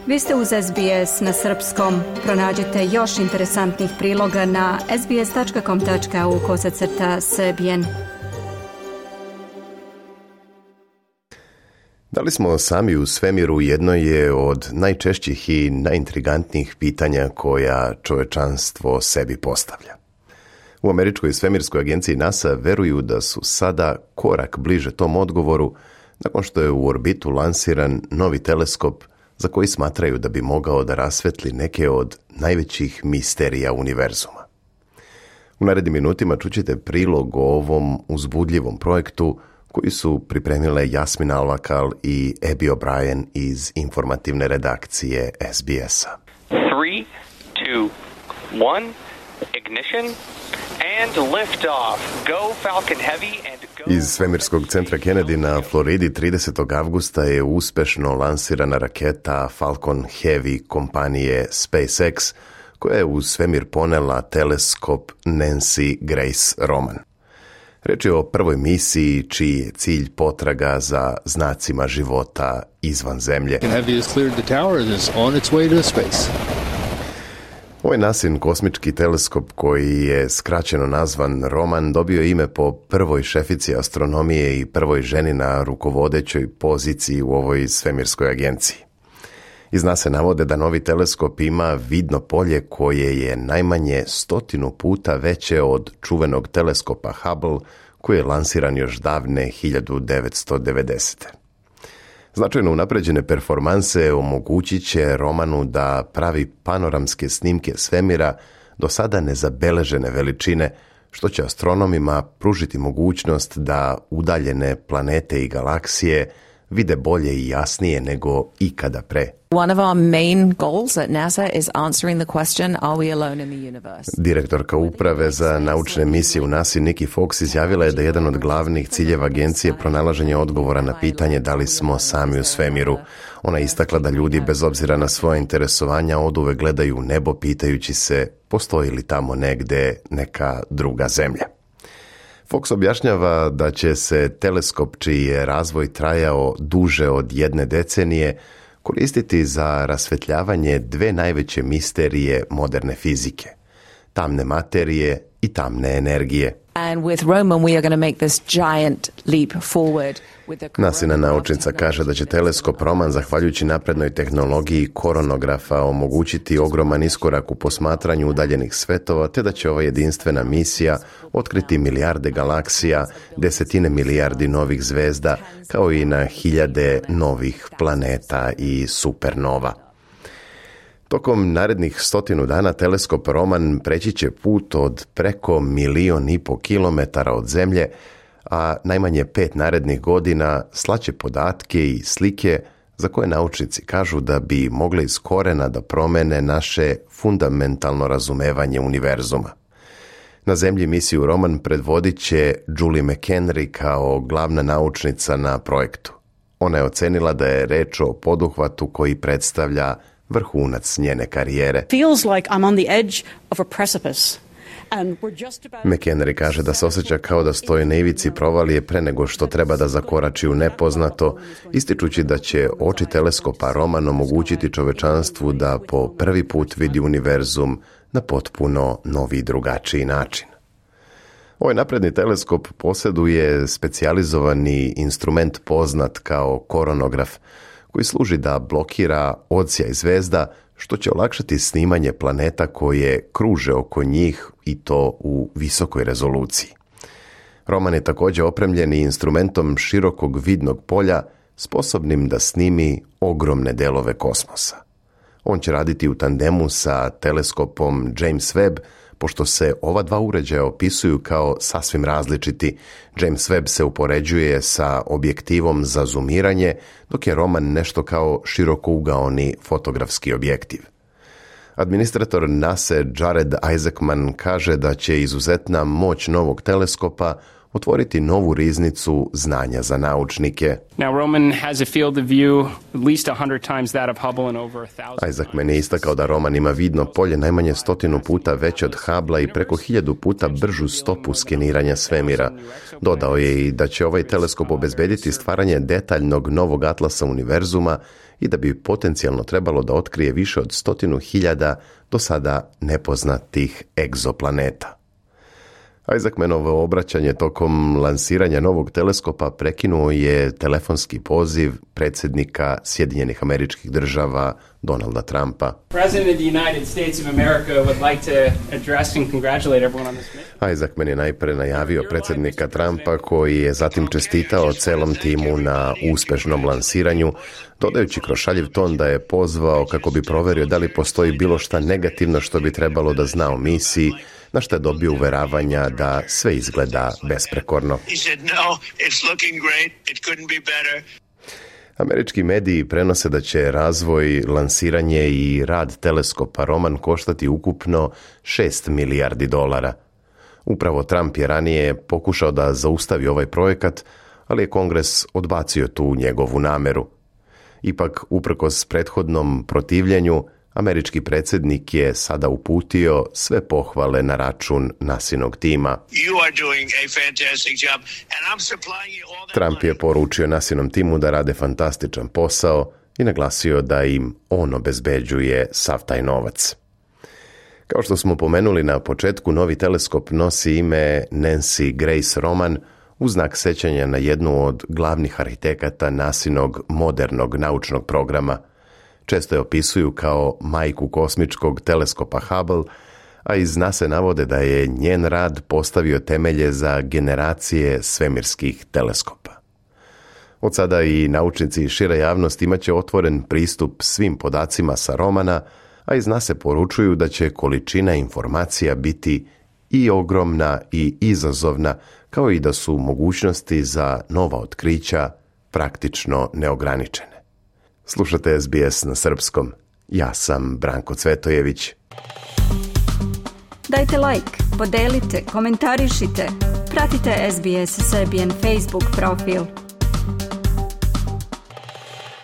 Vi ste uz SBS na srpskom. Pronađite još interesantnih priloga na sbs.com.au/srbijen. Da li smo sami u svemiru jedno je od najčešćih i najintrigantnijih pitanja koja čovečanstvo sebi postavlja. U Američkoj svemirskoj agenciji NASA veruju da su sada korak bliže tom odgovoru nakon što je u orbitu lansiran novi teleskop za koji smatraju da bi mogao da rasvetli neke od najvećih misterija univerzuma. U narednim minutima čućete prilog o ovom uzbudljivom projektu koji su pripremile Jasmina Alvakal i Abby O'Brien iz informativne redakcije SBS-a. 3, 2, 1, ignition and lift off. Go Falcon Heavy and go. Iz svemirskog centra Kennedy na Floridi 30. avgusta je uspešno lansirana raketa Falcon Heavy kompanije SpaceX, koja je u svemir ponela teleskop Nancy Grace Roman. Reč je o prvoj misiji čiji je cilj potraga za znacima života izvan Zemlje. Ovaj NASIN kosmički teleskop, koji je skraćeno nazvan Roman, dobio ime po prvoj šefici astronomije i prvoj ženi na rukovodećoj poziciji u ovoj svemirskoj agenciji. Iz NASA navode da novi teleskop ima vidno polje koje je najmanje 100 puta veće od čuvenog teleskopa Hubble, koji je lansiran još davne 1990. Značajno unapređene performanse omogućit će Romanu da pravi panoramske snimke svemira do sada nezabeležene veličine, što će astronomima pružiti mogućnost da udaljene planete i galaksije vide bolje i jasnije nego ikada pre. One of our main goals at NASA is answering the question, are we alone in the universe? Direktorka uprave za naučne misije u NASA Nikki Fox izjavila je da je jedan od glavnih ciljeva agencije pronalaženje odgovora na pitanje da li smo sami u svemiru. Ona je istakla da ljudi bez obzira na svoje interesovanja oduvek gledaju u nebo pitajući se postoji li tamo negde neka druga zemlja. Fox objašnjava da će se teleskop čiji je razvoj trajao duže od 1 decenije koristiti za rasvetljavanje dve najveće misterije moderne fizike, tamne materije i tamne energije. And with Roman we are going to make this giant leap forward. NASIna naučnica kaže da će teleskop Roman, zahvaljujući naprednoj tehnologiji koronografa, omogućiti ogroman iskorak u posmatranju udaljenih svetova, te da će ova jedinstvena misija otkriti milijarde galaksija, desetine milijardi novih zvezda, kao i na hiljade novih planeta i supernova. Tokom narednih 100 dana teleskop Roman preći će put od preko 1,5 miliona kilometara od Zemlje, a najmanje 5 narednih godina slaće podatke i slike za koje naučnici kažu da bi mogle iz korena da promene naše fundamentalno razumevanje univerzuma. Na Zemlji misiju Roman predvodit će Julie McHenry kao glavna naučnica na projektu. Ona je ocenila da je reč o poduhvatu koji predstavlja vrhunac njene karijere. Feels like I'm on the edge of a precipice. McHenry kaže da se osjeća kao da stoji na ivici provalije pre nego što treba da zakorači u nepoznato, ističući da će oči teleskopa Roman omogućiti čovečanstvu da po prvi put vidi univerzum na potpuno novi i drugačiji način. Ovaj napredni teleskop posjeduje specijalizovani instrument poznat kao koronograf, koji služi da blokira odsjaj zvezda, što će olakšati snimanje planeta koje kruže oko njih i to u visokoj rezoluciji. Roman je također opremljen i instrumentom širokog vidnog polja, sposobnim da snimi ogromne delove kosmosa. On će raditi u tandemu sa teleskopom James Webb, pošto se ova dva uređaja opisuju kao sasvim različiti. James Webb se upoređuje sa objektivom za zumiranje, dok je Roman nešto kao širokougaoni fotografski objektiv. Administrator NASA Jared Isaacman kaže da će izuzetna moć novog teleskopa otvoriti novu riznicu znanja za naučnike. Now, Roman has a field of view at least 100 times that of Hubble and over 1,000. Isaacman je istakao da Roman ima vidno polje najmanje 100 puta veće od Hubblea i preko 1000 puta bržu stopu skeniranja svemira. Dodao je i da će ovaj teleskop obezbediti stvaranje detaljnog novog atlasa univerzuma i da bi potencijalno trebalo da otkrije više od 100.000 do sada nepoznatih egzoplaneta. Isaacmanovo obraćanje tokom lansiranja novog teleskopa prekinuo je telefonski poziv predsjednika Sjedinjenih Američkih Država Donalda Trumpa. President of the United States of America would like to address and congratulate everyone on this mission. Isaacman je najpre najavio predsjednika Trumpa, koji je zatim čestitao celom timu na uspešnom lansiranju, dodajući kroz šaljiv ton da je pozvao kako bi proverio da li postoji bilo šta negativno što bi trebalo da zna o misiji, na što je dobio uveravanja da sve izgleda besprekorno. Američki mediji prenose da će razvoj, lansiranje i rad teleskopa Roman koštati ukupno $6 milijardi. Upravo Trump je ranije pokušao da zaustavi ovaj projekat, ali je Kongres odbacio tu njegovu nameru. Ipak, uprkos prethodnom protivljenju, američki predsjednik je sada uputio sve pohvale na račun NASInog tima. Trump je poručio NASInom timu da rade fantastičan posao i naglasio da im on obezbeđuje sav taj novac. Kao što smo pomenuli na početku, novi teleskop nosi ime Nancy Grace Roman u znak sećanja na jednu od glavnih arhitekata NASInog modernog naučnog programa. Često je opisuju kao majku kosmičkog teleskopa Hubble, a iz NASA navode da je njen rad postavio temelje za generacije svemirskih teleskopa. Od sada i naučnici i šira javnost imaće otvoren pristup svim podacima sa Romana, a iz NASA poručuju da će količina informacija biti i ogromna i izazovna, kao i da su mogućnosti za nova otkrića praktično neograničene. Slušate SBS na srpskom. Ja sam Branko Cvetojević. Dajte like, podelite, komentarišite. Pratite SBS Serbian Facebook profil.